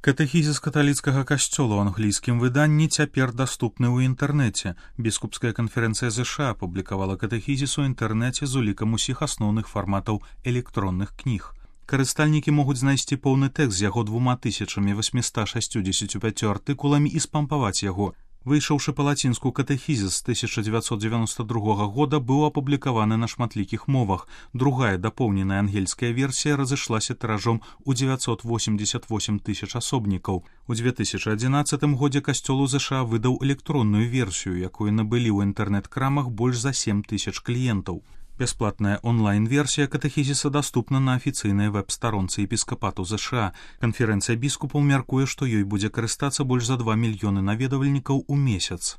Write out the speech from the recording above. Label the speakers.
Speaker 1: Катэхізіс каталіцкага касцёла ў англійскім выданні цяпер даступны ў інтэрнэце. Біскупская канферэнцыя ЗША апублікавала катэхізіс у інтэрнэце з улікам усіх асноўных фарматаў электронных кніг. Карыстальнікі могуць знайсці поўны тэкст з яго 2865 артыкуламі і спампаваць яго. Выйшаўшы па-лацінску катэхізіс з 1992 года быў апублікаваны на шматлікіх мовах. Другая дапоўненая ангельская версія разышлася тыражом у 988 тысяч асобнікаў. У 2011 годзе касцёл у ЗША выдаў электронную версію, якую набылі ў інтэрнэт-крамах больш за 7 тысяч кліентаў. Бясплатная онлайн-версія катэхізіса даступна на афіцыйнай вэб-старонцы епіскапату ЗША. Канферэнцыя біскупаў мяркуе, што ёй будзе карыстацца больш за 2 мільёны наведвальнікаў у месяц.